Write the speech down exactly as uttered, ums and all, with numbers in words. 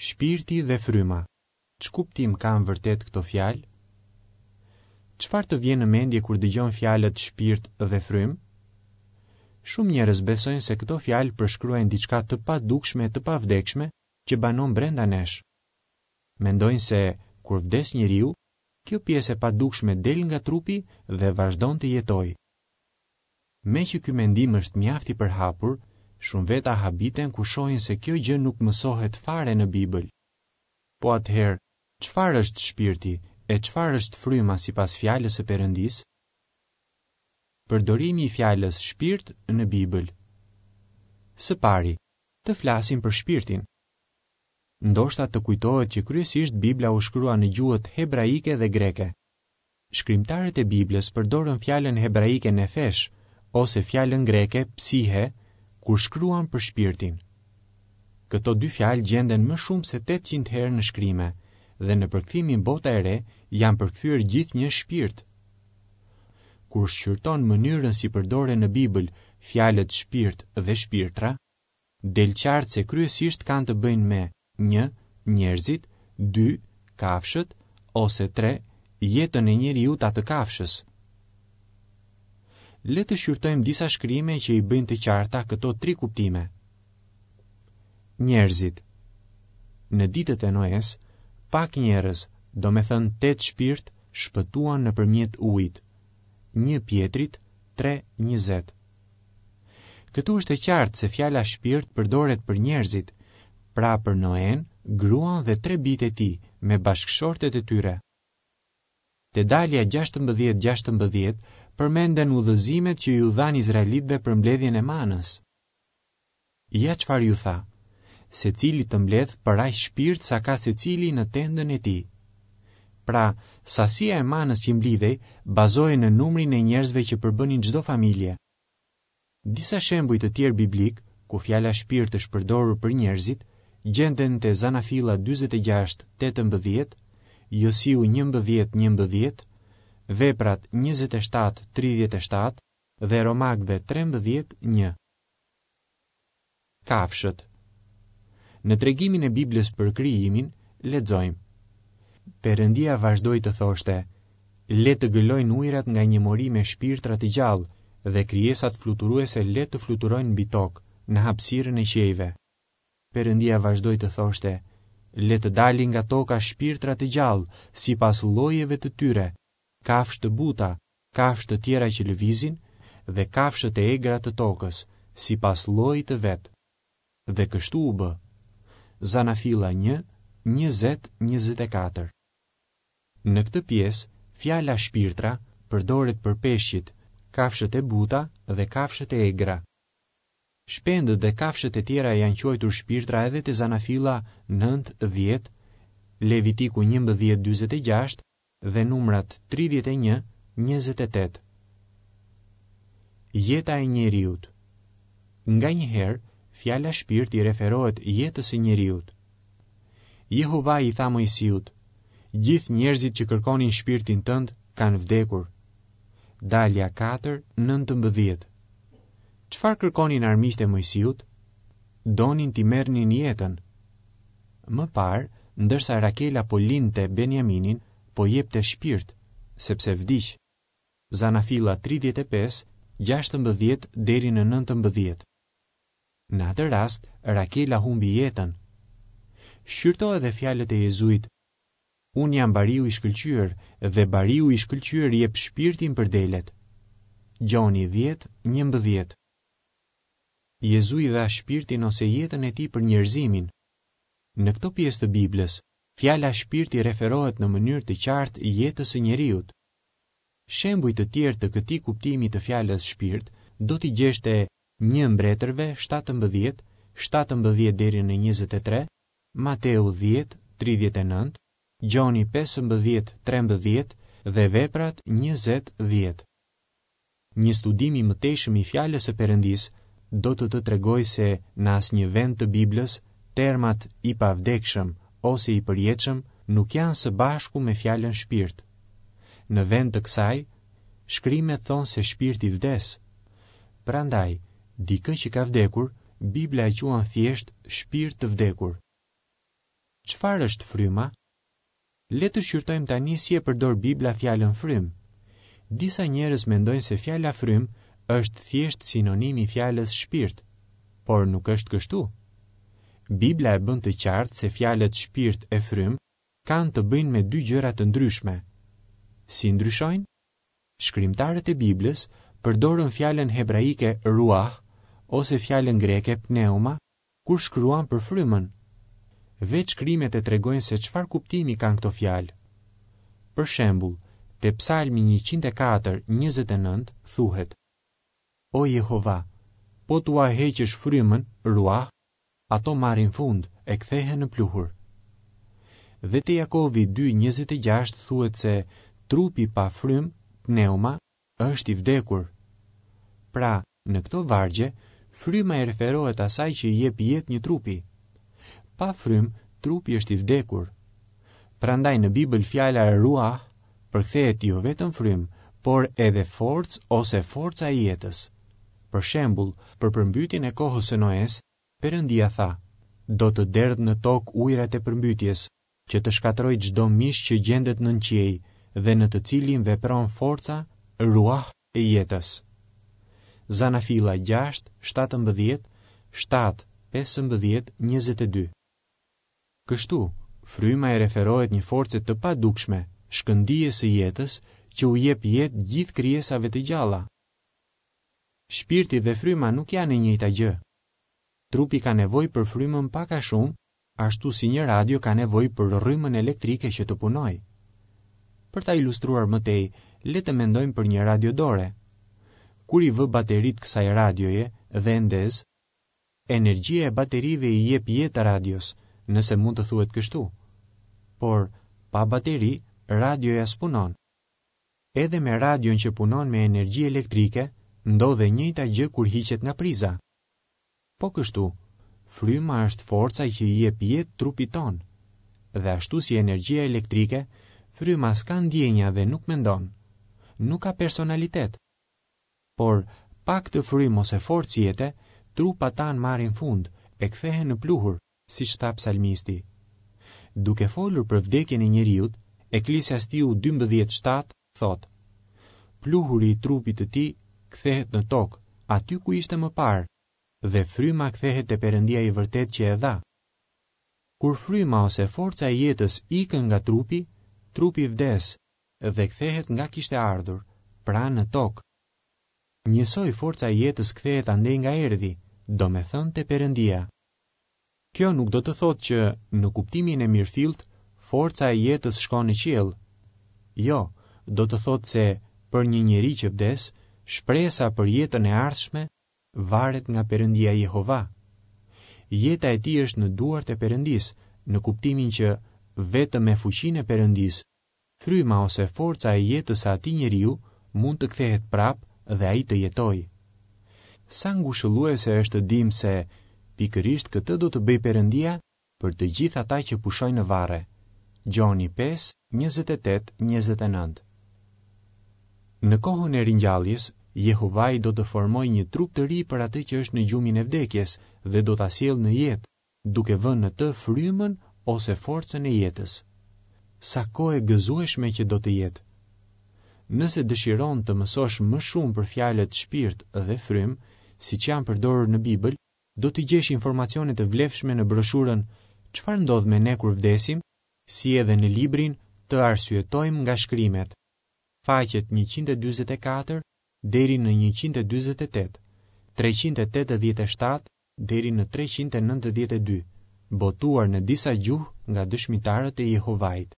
Shpirti dhe fryma. Ç'kuptim kanë vërtet këto fjalë? Çfarë të vjen në mendje kur dëgjon fjalët shpirt dhe frymë? Shumë njerëz besojnë se këto fjalë përshkruajnë diçka të padukshme e të pavdekshme që banon brenda nesh. Mendojnë se kur vdes njeriu, kjo pjesë e padukshme del nga trupi dhe vazhdon të jetojë. Meqë ky mendim është mjaft i përhapur, shumë veta habiten kur shohin se kjo gjë nuk mësohet fare në Bibël. Po atëherë, çfarë është shpirti e çfarë është fryma sipas fjalës së Perëndisë? Përdorimi i fjalës shpirt në Bibël. Së pari, të flasim për shpirtin. Ndoshta të kujtohet që kryesisht Bibla u shkrua në gjuhët hebraike dhe greke. Shkrimtarët e Biblës përdorën fjalën hebraike nefesh ose fjalën greke psihe kur shkruan për shpirtin. Këto dy fjalë gjenden më shumë se tetëqind herë në shkrime dhe në përkthimin Bota e Re janë përkthyer gjithnjë shpirt. Kur shqyrton mënyrën si përdoren në Bibël fjalët shpirt dhe shpirtra, del qartë se kryesisht kanë të bëjnë me një, njerëzit, dy, kafshët ose tre, jetën e njeriut a të kafshës. Le të shqyrtojmë disa shkrime që i bëjnë të qarta këto tri kuptime. Njerëzit. Në ditët e Noes, pak njerëz, domethënë tetë shpirt, shpëtuan nëpërmjet ujit. Një Pjetrit tre njëzet. Këtu është e qartë se fjala shpirt përdoret për njerëzit, pra për Noen, gruan dhe tre bijtë e tij me bashkëshortet e tyre. Te dalja gjashtëmbëdhjetë gjashtëmbëdhjetë përmenden udhëzimet që ju dhanë izraelitëve për mbledhjen e manës. Ja çfarë ju tha: secili të mbledh për aq shpirt sa ka secili në tendën e tij. Pra, sasia e manës që mblidhej bazohej në numrin e njerëzve që përbënin çdo familje. Disa shembuj të tjerë biblik, ku fjala shpirt është përdorur për njerëzit, gjenden te Zanafilla dyzet e gjashtë tetëmbëdhjetë, Josiu njëmbëdhjetë njëmbëdhjetë, Veprat njëzet e shtatë tridhjetë e shtatë dhe Romakëve trembëdhjetë një. Kafshët. Në tregimin e Biblës për krijimin, lexojmë: Perëndia vazhdoi të thoshte: Le të gëlojnë ujërat nga një mori me shpirtra të gjallë dhe krijesat fluturuese le të fluturojnë mbi tokë, në hapësirën e qiejve. Perëndia vazhdoi të thoshte: Le të dalin nga toka shpirtra të gjallë, sipas llojeve të tyre, kafshë të buta, kafshë të tjera që lëvizin dhe kafshët e egra të tokës, sipas llojit të vet. Dhe kështu u bë. Zanafilla një, njëzet, njëzet e katër. Në këtë pjesë, fjala shpirtra përdoret për peshqit, kafshët e buta dhe kafshët e egra. Shpendët dhe kafshët e tjera janë quajtur shpirtra edhe te Zanafilla nëntë dhjetë, Levitiku njëmbëdhjetë dyzet e gjashtë dhe numrat tridhjetë e një, njëzet e tetë. Jeta e njeriut. Nganjëherë, fjala shpirt i referohet jetës së njeriut. Jehova i tha Moisiut: Gjithë njerëzit që kërkonin shpirtin tënd kanë vdekur. Dalja katër, nëntëmbëdhjetë. Çfarë kërkonin armiqtë e Moisiut? Donin t'i merrnin jetën. Më parë, ndërsa Rakela po lindte Benjaminin, po jepte shpirt, sepse vdiq. Zanafilla tridhjetë e pesë, gjashtëmbëdhjetë deri në nëntëmbëdhjetë. Në atë rast, Rakela humbi jetën. Shqyrto edhe fjalët e Jezuit: Unë jam bariu i shkëlqyer dhe bariu i shkëlqyer jep shpirtin për delet. Gjoni dhjetë, njëmbëdhjetë. Jezui dha shpirtin ose jetën e tij për njerëzimin. Në këto pjesë të Biblës, fjala shpirt i referohet në mënyrë të qartë jetës së njeriut. Shembuj të tjerë të këtij kuptimi të fjalës shpirt do t'i gjesh te një Mbretërve shtatëmbëdhjetë, shtatëmbëdhjetë deri në njëzet e tre, Mateu dhjetë, tridhjetë e nëntë, Gjoni pesëmbëdhjetë, trembëdhjetë dhe Veprat njëzet, dhjetë. Një studim i mëtejshëm i fjalës së Perëndisë do të të tregojë se në asnjë vend të Biblës termat i pavdekshëm ose i përjetshëm nuk janë së bashku me fjalën shpirt. Në vend të kësaj, shkrimet thonë se shpirti vdes. Prandaj, dikë që ka vdekur, Bibla e quan thjesht shpirt të vdekur. Çfarë është fryma? Le të shqyrtojmë tani si e përdor Bibla fjalën frymë. Disa njerëz mendojnë se fjala frymë është thjesht sinonim i fjalës shpirt, por nuk është kështu. Bibla e bën të qartë se fjalët shpirt e frymë kanë të bëjnë me dy gjëra të ndryshme. Si ndryshojnë? Shkrimtarët e Biblës përdorën fjalën hebraike ruah ose fjalën greke pneuma kur shkruan për frymën. Vetë shkrimet e tregojnë se çfarë kuptimi kanë këto fjalë. Për shembull, te Psalmi njëqind e katër, njëzet e nëntë thuhet: O Jehova, po t'ua heqësh frymën, ruah, ato marrin fund e kthehen në pluhur. Dhe te Jakovi dy njëzet e gjashtë thuhet se trupi pa frymë, pneuma, është i vdekur. Pra, në këto vargje, fryma i referohet asaj që i jep jetë një trupi. Pa frymë, trupi është i vdekur. Prandaj në Bibël fjala ruah përkthehet jo vetëm frymë, por edhe forcë ose forca e jetës. Për shembull, për përmbytjen e kohës së Noes, Perëndia tha: Do të derdh në tokë ujërat e përmbytjes, që të shkatërroj çdo mish që gjendet nën qiej dhe në të cilin vepron forca ruah e jetës. Zanafilla gjashtë, shtatëmbëdhjetë, shtatë, pesëmbëdhjetë, njëzet e dy. Kështu, fryma i referohet një force të padukshme, shkëndijes së jetës, që u jep jetë gjithë krijesave të gjalla. Shpirti dhe fryma nuk janë e njëjta gjë. Trupi ka nevojë për frymën pak a shumë, ashtu si një radio ka nevojë për rrymën elektrike që të punojë. Për ta ilustruar më tej, le të mendojmë për një radio dore. Kur i vë bateritë kësaj radioje dhe e ndez, energjia e baterive i jep jetë radios, nëse mund të thuhet kështu. Por, pa bateri, radioja s'punon. Edhe me radion që punon me energji elektrike, ndodh e njëjta gjë kur hiqet nga priza. Po kështu, fryma është forca që i jep jetë trupit tonë. Dhe ashtu si energjia elektrike, fryma s'ka ndjenja dhe nuk mendon. Nuk ka personalitet. Por, pa këtë frymë ose forcë jete, trupat tanë marrin fund e kthehen në pluhur, siç tha psalmisti. Duke folur për vdekjen e njeriut, Eklesiastiu dymbëdhjetë shtatë thotë: Pluhuri i trupit të tij kthehet në tokë, aty ku ishte më parë, dhe fryma kthehet te Perëndia i vërtetë që e dha. Kur fryma ose forca e jetës ikën nga trupi, trupi vdes dhe kthehet nga kishte ardhur, pra në tokë. Njësoj forca e jetës kthehet andej nga erdhi, domethënë te Perëndia. Kjo nuk do të thotë që, në kuptimin e mirëfillt, forca e jetës shkon në qiell. Jo, do të thotë se për një njeri që vdes, shpresa për jetën e ardhshme varet nga Perëndia Jehova. Jeta e tij është në duart e Perëndisë, në kuptimin që vetëm me fuqinë e Perëndisë, fryma ose forca e jetës së atij njeriu mund të kthehet prapë dhe ai të jetojë. Sa ngushëlluese është të dim se pikërisht këtë do të bëjë Perëndia për të gjithë ata që pushojnë në varre. Gjoni pesë, njëzet e tetë, njëzet e nëntë. Në kohën e ringjalljes, Jehovai do të formojë një trup të ri për atë që është në gjumin e vdekjes dhe do ta sjellë në jetë, duke vënë në të frymën ose forcën e jetës. Sa kohë e gëzueshme që do të jetë! Nëse dëshiron të mësosh më shumë për fjalët shpirt dhe frymë, siç janë përdorur në Bibël, do të gjesh informacione të vlefshme në broshurën Çfarë ndodh me ne kur vdesim, si edhe në librin Të arsyetojmë nga shkrimet, faqet njëqind e dyzet e katër deri në njëqind e dyzet e tetë, treqind e tetëdhjetë e shtatë deri në treqind e nëntëdhjetë e dy, botuar në disa gjuhë nga dëshmitarët e Jehovait.